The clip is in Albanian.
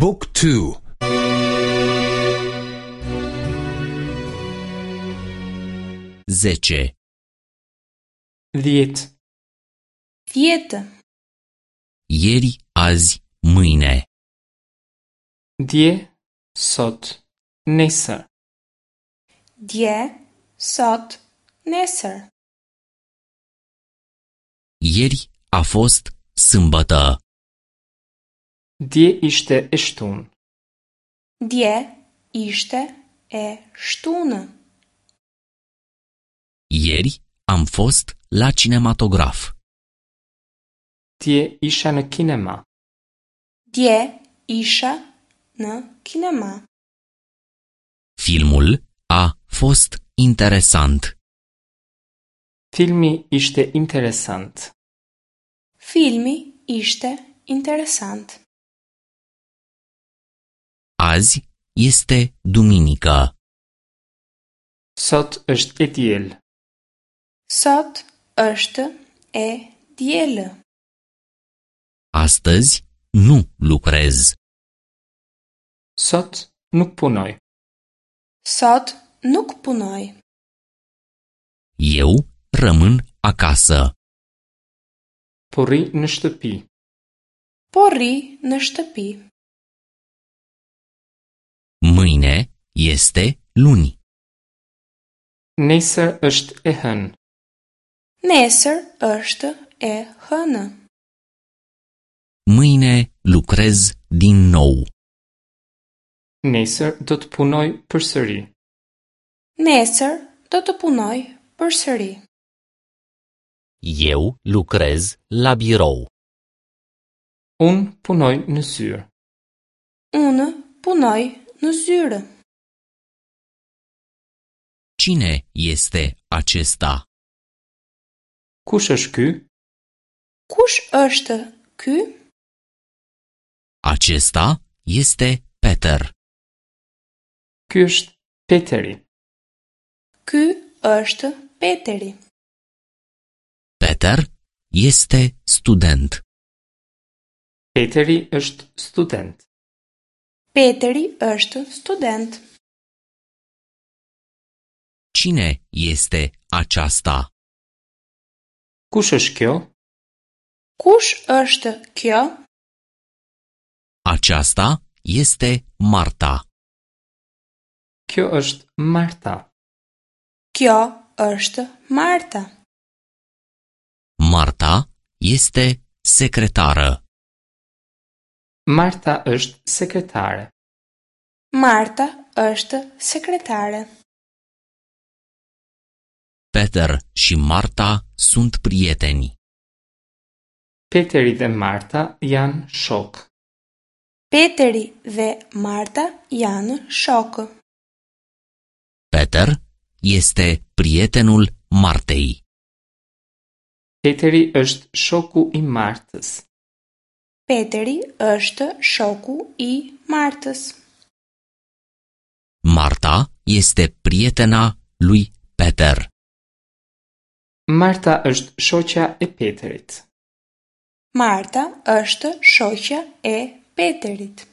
บุ๊กทู 10. 10. 10. Ieri, azi, mâine. Dje, sot, nesër. Dje, sot, nesër. Ieri a fost sâmbătă. Dje ishte e shtunë. Dje ishte e shtunë. Ieri am fost la cinematograf. Dje isha në kinema. Dje isha në kinema. Filmul a fost interesant. Filmi ishte interesant. Filmi ishte interesant. Azi este duminică. Sot është e diel. Sot është e dielë. Astăzi nu lucrez. Sot nuk punoj. Sot nuk punoj. Eu rămân acasă. Po rri në shtëpi. Po rri në shtëpi. Mâine este luni. Nesër është e hënë. Nesër është e hënë. Mâine lucrez din nou. Nesër do të punoj përsëri. Nesër do të punoj përsëri. Eu lucrez la birou. Unë punoj në zyrë. Unë punoj në zyrë. Cine este acesta? Kush është ky? Kush është ky? Acesta este Peter. Ky është Peteri. Ky është Peteri. Peter este student. Peteri është student. Peteri është student. Cine este aceasta? Kush është kjo? Kush është kjo? Aceasta este Marta. Kjo është Marta. Kjo është Marta. Marta este secretară. Marta është sekretare. Marta është sekretare. Peter și Marta sunt prieteni. Peteri dhe Marta janë shok. Peteri dhe Marta janë shokë. Peter este prietenul Martei. Peteri është shoku i Martës. Peteri është shoku i Martës. Marta este prietena lui Peter. Marta është shoqja e Peterit. Marta është shoqja e Peterit.